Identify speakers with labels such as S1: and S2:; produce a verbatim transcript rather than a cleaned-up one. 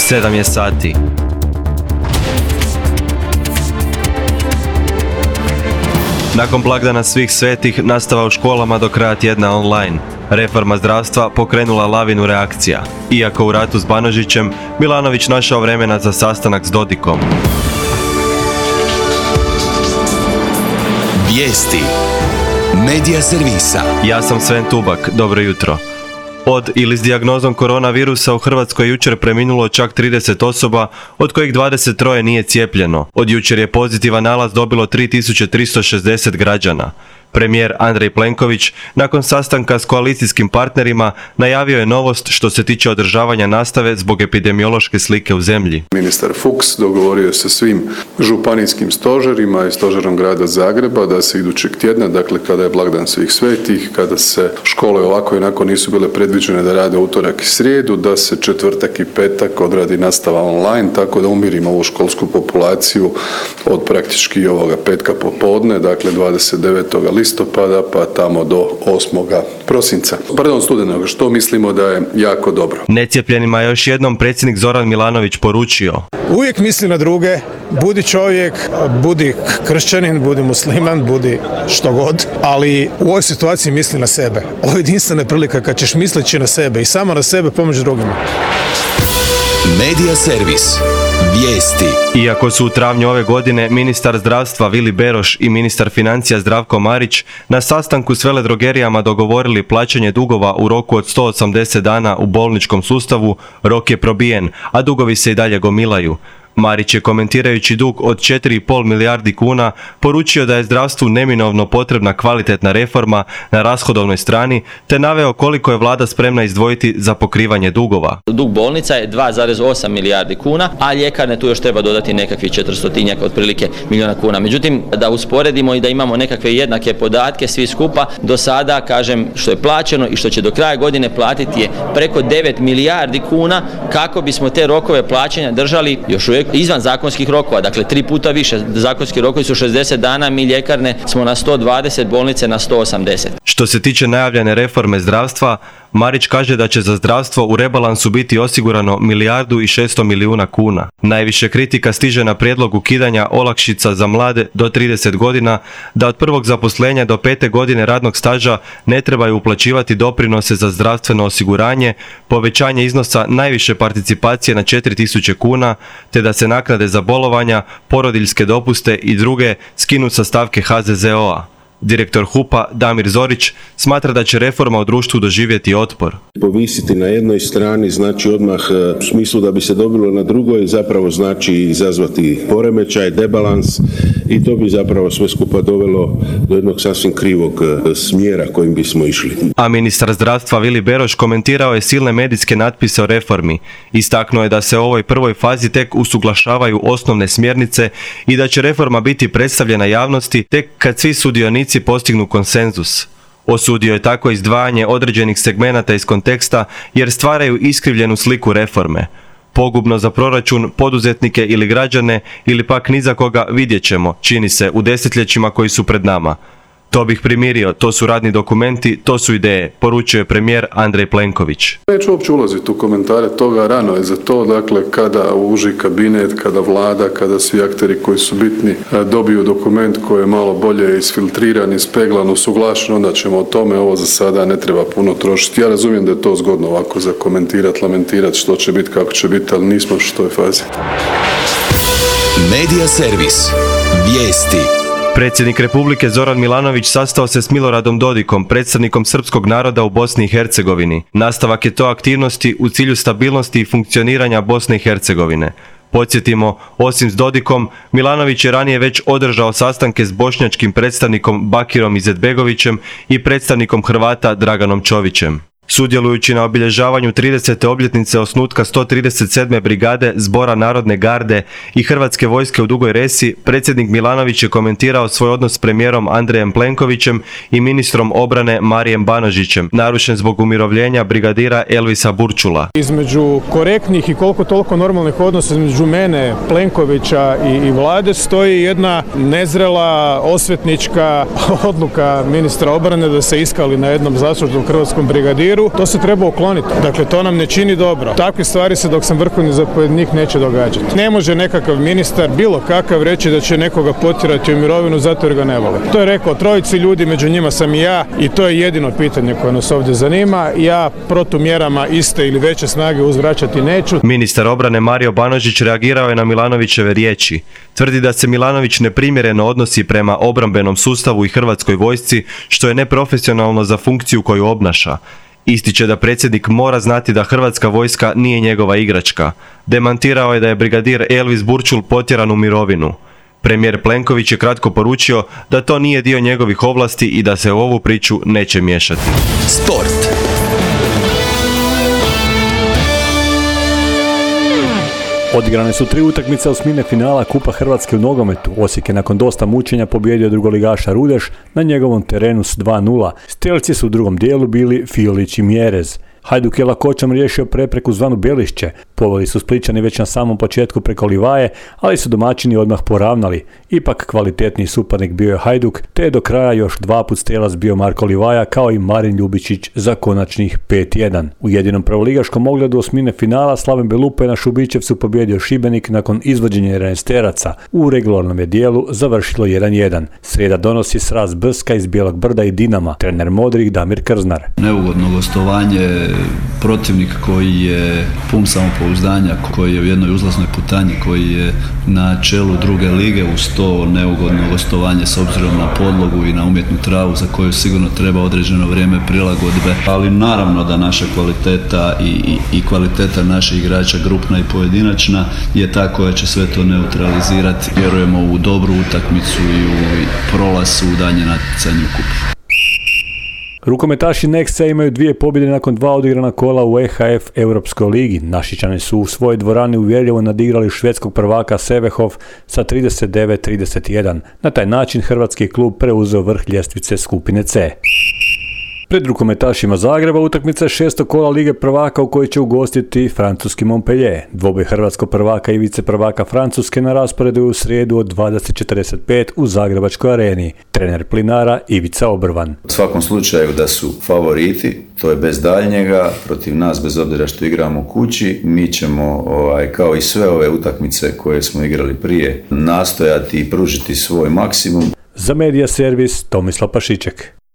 S1: sedam je sati. Nakon blagdana svih svetih, nastava u školama do kraja tjedna online. Reforma zdravstva pokrenula lavinu reakcija. Iako u ratu s Banožićem, Milanović našao vremena za sastanak s Dodikom.
S2: Vijesti Medija servisa.
S1: Ja sam Sven Tubak, dobro jutro. Od ili s dijagnozom koronavirusa u Hrvatskoj jučer preminulo čak trideset osoba, od kojih dvadeset tri nije cijepljeno. Od jučer je pozitivan nalaz dobilo tri tisuće tristo šezdeset građana. Premijer Andrej Plenković, nakon sastanka s koalicijskim partnerima, najavio je novost što se tiče održavanja nastave zbog epidemiološke slike u zemlji.
S3: Ministar Fuchs dogovorio je sa svim županijskim stožerima i stožerom grada Zagreba da se idućeg tjedna, dakle kada je blagdan svih svetih, kada se škole ovako i onako nisu bile predviđene da rade utorak i srijedu, da se četvrtak i petak odradi nastava online, tako da umirimo ovu školsku populaciju od praktički ovoga petka popodne, dakle dvadeset devetog listopada pa tamo do osmoga prosinca. Pardon, studenog, što mislimo da je jako dobro.
S1: Necijepljenima je još jednom predsjednik Zoran Milanović poručio:
S4: uvijek misli na druge, budi čovjek, budi kršćanin, budi musliman, budi što god, ali u ovoj situaciji misli na sebe. Ovo je jedinstvena prilika kad ćeš misleći na sebe i samo na sebe pomoći drugima.
S2: Medija servis. Vijesti.
S1: Iako su u travnju ove godine ministar zdravstva Vili Beroš i ministar financija Zdravko Marić na sastanku s veledrogerijama dogovorili plaćanje dugova u roku od sto osamdeset dana u bolničkom sustavu, rok je probijen, a dugovi se i dalje gomilaju. Marić je, komentirajući dug od četiri zarez pet milijardi kuna, poručio da je zdravstvu neminovno potrebna kvalitetna reforma na rashodovnoj strani, te naveo koliko je vlada spremna izdvojiti za pokrivanje dugova.
S5: Dug bolnica je dva zarez osam milijardi kuna, a ljekarne tu još treba dodati nekakvih četiristotinjak otprilike milijuna kuna. Međutim, da usporedimo i da imamo nekakve jednake podatke svi skupa, do sada, kažem, što je plaćeno i što će do kraja godine platiti je preko devet milijardi kuna, kako bismo te rokove plaćanja držali još uvijek izvan zakonskih rokova, dakle tri puta više. Zakonski rokovi su šezdeset dana, mi ljekarne smo na sto dvadeset, bolnice na sto osamdeset.
S1: Što se tiče najavljene reforme zdravstva, Marić kaže da će za zdravstvo u rebalansu biti osigurano milijardu i šesto milijuna kuna. Najviše kritika stiže na prijedlog ukidanja olakšica za mlade do trideset godina, da od prvog zaposlenja do pete godine radnog staža ne trebaju uplaćivati doprinose za zdravstveno osiguranje, povećanje iznosa najviše participacije na četiri tisuće kuna, te da se naknade za bolovanja, porodiljske dopuste i druge skinu sa stavke ha ze ze o a. Direktor hupa Damir Zorić smatra da će reforma u društvu doživjeti otpor.
S6: Povisiti na jednoj strani znači odmah u smislu da bi se dobilo na drugoj, zapravo znači izazvati poremećaj, debalans i to bi zapravo sve skupa dovelo do jednog sasvim krivog smjera kojim bismo išli.
S1: A ministar zdravstva Vili Beroš komentirao je silne medijske natpise o reformi. Istaknuo je da se u ovoj prvoj fazi tek usuglašavaju osnovne smjernice i da će reforma biti predstavljena javnosti tek kad svi sudionici postignu konsenzus. Osudio je tako izdvajanje određenih segmenata iz konteksta jer stvaraju iskrivljenu sliku reforme. Pogubno za proračun, poduzetnike ili građane ili pak ni za koga, vidjet ćemo, čini se, u desetljećima koji su pred nama. To bih primirio, to su radni dokumenti, to su ideje, poručuje premijer Andrej Plenković.
S3: Neću uopće ulaziti u komentare toga, rano je za to, dakle kada uži kabinet, kada vlada, kada svi akteri koji su bitni dobiju dokument koji je malo bolje isfiltriran, ispeglan, usuglašen, onda ćemo o tome, ovo za sada ne treba puno trošiti. Ja razumijem da je to zgodno ovako za komentirati, lamentirati što će biti, kako će biti, ali nismo u toj fazi.
S2: Medija servis. Vijesti.
S1: Predsjednik Republike Zoran Milanović sastao se s Miloradom Dodikom, predstavnikom srpskog naroda u Bosni i Hercegovini. Nastavak je to aktivnosti u cilju stabilnosti i funkcioniranja Bosne i Hercegovine. Podsjetimo, osim s Dodikom, Milanović je ranije već održao sastanke s bošnjačkim predstavnikom Bakirom Izetbegovićem i predstavnikom Hrvata Draganom Čovićem. Sudjelujući na obilježavanju tridesete obljetnice osnutka sto trideset sedme brigade Zbora narodne garde i Hrvatske vojske u Dugoj Resi, predsjednik Milanović je komentirao svoj odnos s premijerom Andrejem Plenkovićem i ministrom obrane Marijem Banožićem, narušen zbog umirovljenja brigadira Elvisa Burčula.
S4: Između korektnih i koliko toliko normalnih odnosa između mene, Plenkovića i, i vlade stoji jedna nezrela osvetnička odluka ministra obrane da se iskali na jednom zaslužnom hrvatskom brigadiru papiru, to se treba ukloniti. Dakle, to nam ne čini dobro. Takve stvari se dok sam vrhovni zapovjednik neće događati. Ne može nekakav ministar, bilo kakav, reći da će nekoga potjerati u mirovinu zato jer ga ne vole. To je rekao trojici ljudi, među njima sam i ja, i to je jedino pitanje koje nas ovdje zanima. Ja protumjerama iste ili veće snage uzvraćati neću.
S1: Ministar obrane Mario Banožić reagirao je na Milanovićeve riječi. Tvrdi da se Milanović neprimjereno odnosi prema obrambenom sustavu i hrvatskoj vojsci, što je neprofesionalno za funkciju koju obnaša. Ističe da predsjednik mora znati da hrvatska vojska nije njegova igračka. Demantirao je da je brigadir Elvis Burčul potjeran u mirovinu. Premijer Plenković je kratko poručio da to nije dio njegovih ovlasti i da se u ovu priču neće miješati.
S2: Sport.
S7: Odigrane su tri utakmice osmine finala Kupa Hrvatske u nogometu. Osijek je nakon dosta mučenja pobijedio drugoligaša Rudeš na njegovom terenu s dva nula. Strelci su u drugom dijelu bili Fiolić i Mjerez. Hajduk je lakoćom riješio prepreku zvanu Belišće. Poveli su Splićani već na samom početku preko Livaje, ali su domaćini odmah poravnali. Ipak kvalitetniji suparnik bio je Hajduk, te je do kraja još dva put strijelac bio Marko Livaja kao i Marin Ljubičić za konačnih pet jedan. U jedinom prvoligaškom ogledu osmine finala Slaven Belupe na Šubićevcu pobjedio Šibenik nakon izvođenja jedanaesteraca. U regularnom je dijelu završilo jedan jedan. Srijeda donosi sraz Brska iz Bijelog Brda i Dinama. Trener Modrih Damir Krznar.
S8: Neugodno gostovanje, protivnik koji je pun samopouzdanja, koji je u jednoj uzlaznoj putanji, koji je na čelu druge lige, uz to neugodno gostovanje s obzirom na podlogu i na umjetnu travu za koju sigurno treba određeno vrijeme prilagodbe. Ali naravno da naša kvaliteta i, i, i kvaliteta naših igrača, grupna i pojedinačna, je ta koja će sve to neutralizirati. Vjerujemo u dobru utakmicu i u prolaz u daljnje natjecanje u kupu.
S7: Rukometaši Nexa imaju dvije pobjede nakon dva odigrana kola u E H F Europskoj ligi. Našičani su u svojoj dvorani uvjerljivo nadigrali švedskog prvaka Sevehov sa trideset devet trideset jedan. Na taj način hrvatski klub preuzeo vrh ljestvice skupine C. Pred rukometašima Zagreba utakmica je šestog kola Lige prvaka u kojoj će ugostiti francuski Montpellier. Dvoboj hrvatskog prvaka i vice prvaka Francuske na rasporedu je u srijedu od dvadeset četrdeset pet u Zagrebačkoj areni. Trener Plinara Ivica Obrvan.
S9: U svakom slučaju da su favoriti, to je bez daljnjega, protiv nas bez obzira što igramo u kući, mi ćemo ovaj, kao i sve ove utakmice koje smo igrali prije nastojati i pružiti svoj maksimum.
S7: Za Medija servis Tomislav Pašiček.